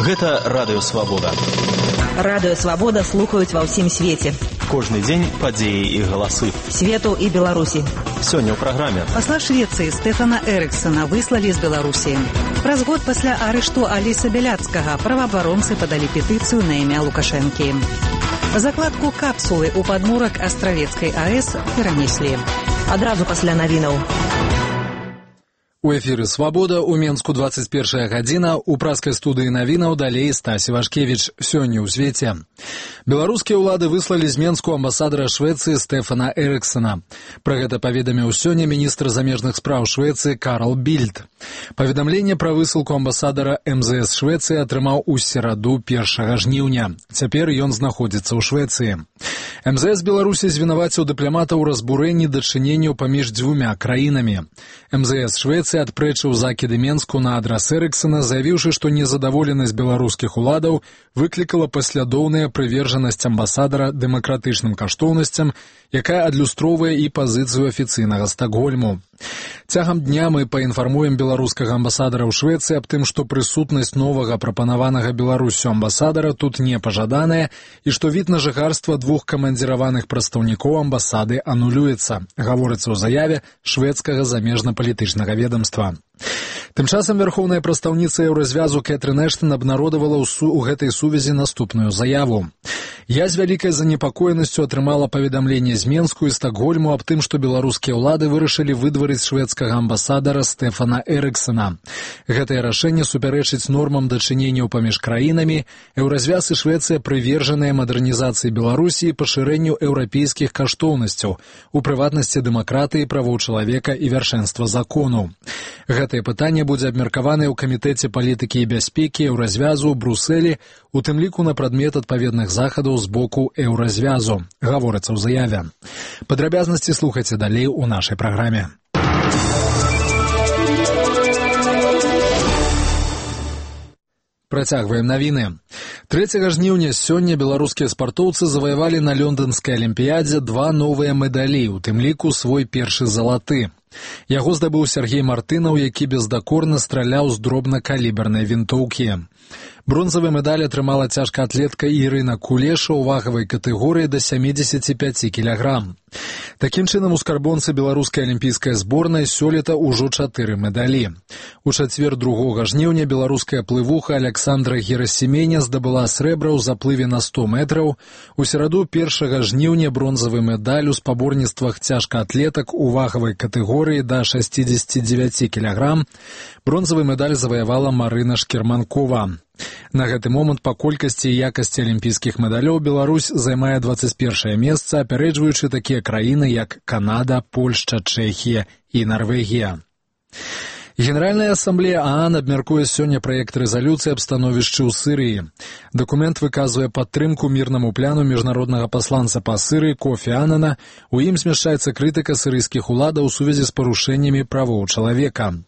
Гэта Радыё Свабода. Радыё Свабода слухаюць ва ўсім свеце. Кожны дзень падзеі і галасы. Свету і Беларусі. Сёння ў праграме. Пасла Швецыі Стэфана Эрыксона выслалі з Беларусі. Праз год пасля арышту Аліса Бяляцкага праваабаронцы падалі петыцыю на імя Лукашэнкі. Закладку капсулы ў падмурак Астравецкай АЭС перанеслі. Адразу пасля навінаў. У эфіры «Свабода», у Менску 21 гадзіна, у праскай студыі навінаў далей Стасі Вашкевіч. Сёння ў свеце. Беларускія ўлады выслалі з Менску амбасадара Швецыі Стэфана Эрыксона. Пра гэта паведаміў сёння міністр замежных спраў Швецыі Карл Більд. Паведамленне пра высылку амбасадара МЗС Швецыі атрымаў у сераду 1 жніўня. Цяпер ён знаходзіцца ў Швецыі. МЗС Беларусі звінаваціў дыпламата ў разбурэнні дачыненняў паміж дзвюмя краінамі. МЗС Швецыі адпрэчыў закіды Менску на адрас Эрыксона, заявіўшы, што незадаволенасць беларускіх уладаў выклікала паслядоўная прывержанасць амбасадара дэмакратычным каштоўнасцям, якая адлюстроўвае і пазіцыю афіцыйнага Стакгольму. Цягам дня мы паінфармуем беларускага амбасадара ў Швецыі аб тым, што прысутнасць новага прапанаванага Беларусю амбасадара тут не пажаданая і што від на жыхарства двух камандзіраваных прадстаўнікоў амбасады анулюецца, гаворыцца ў заяве шведскага замежна-палітычнага ведомства. Тым часам вярхоўная прадстаўніца Еўразвязу Кэтрын Эштон абнародавала ў гэтай сувязі наступную заяву. Я з вялікай занепакоенасцю атрымала паведамленне з Менску і Стакгольму аб тым, што беларускія ўлады вырашылі выдварыць шведскага амбасадара Стэфана Эрыксона. Гэтае рашэнне супярэчыць нормам дачыненняў паміж краінамі. Еўразвяз і Швецыя прывержаныя мадэрнізацыі Беларусі і пашырэнню еўрапейскіх каштоўнасцяў, у прыватнасці дэмакратыі, правоў чалавека і вяршэнства закону. Гэтае пытанне будзе абмеркаванае ў камітэце палітыкі і бяспекі Еўразвязу ў Брусэлі, у тым ліку на прадмет адпаведных захадаў з боку Еўразвязу, гаворыцца ў заяве. Падрабязнасці слухайце далей у нашай праграме. Працягваем навіны. 3 жніўня сёння беларускія спартоўцы заваявалі на лёнданскай алімпіядзе 2 новыя медалі, у тым ліку свой першы залаты. Яго здабыў Сергей Мартынаў, які бездакорна страляў з дробнакалібернай вінтоўкі. Бронзавы медаль атрымала цяжкаатлетка Ірына Кулеша ў вагавай катэгорыі да 75 кілаграм. Такім чынам, у скарбонцы беларускай алімпійскай зборнай сёлета ўжо 4 медалі. У чацвер 2 жніўня беларуская плывуха Александра Герасіменя здабыла срэбра ў заплыве на 100 метраў. У сераду 1 жніўня бронзавы медаль у спаборніцтвах цяжкаатлетак у вагавай катэгорыі да 69 кілаграм. Бронзавы медаль заваявала Марына Шкерманкова. На гэты момант па колькасці і якасці алімпійскіх медалёў Беларусь займае 21 месца, апярэджваючы такія краіны, як Канада, Польшча, Чэхія і Нарвегія. Генеральная асамблея ААН абмяркуе сёння праект рэзалюцыі аб становішчы ў Сірыі. Дакумент выказвае падтрымку мірнаму пляну міжнароднага пасланца па Сірыі Кофі Анана. У ім змяшчаецца крытыка сірыйскіх уладаў у сувязі з парушэннямі правоў чалавека.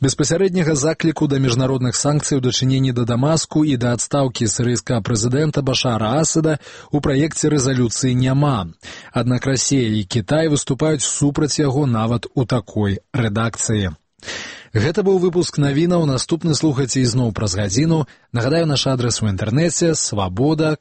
Беспасярэдняга закліку да міжнародных санкцый у дачыненні да Дамаску і да адстаўкі сірыйскага прэзідэнта Башара Асада у праекце рэзалюцыі няма. Аднак Расія і Кітай выступаюць супраць яго нават у такой рэдакцыі. Гэта быў выпуск навінаў, наступны слухайце ізноў праз гадзіну. Нагадаю, наш адрас у інтэрнэце свабода.by.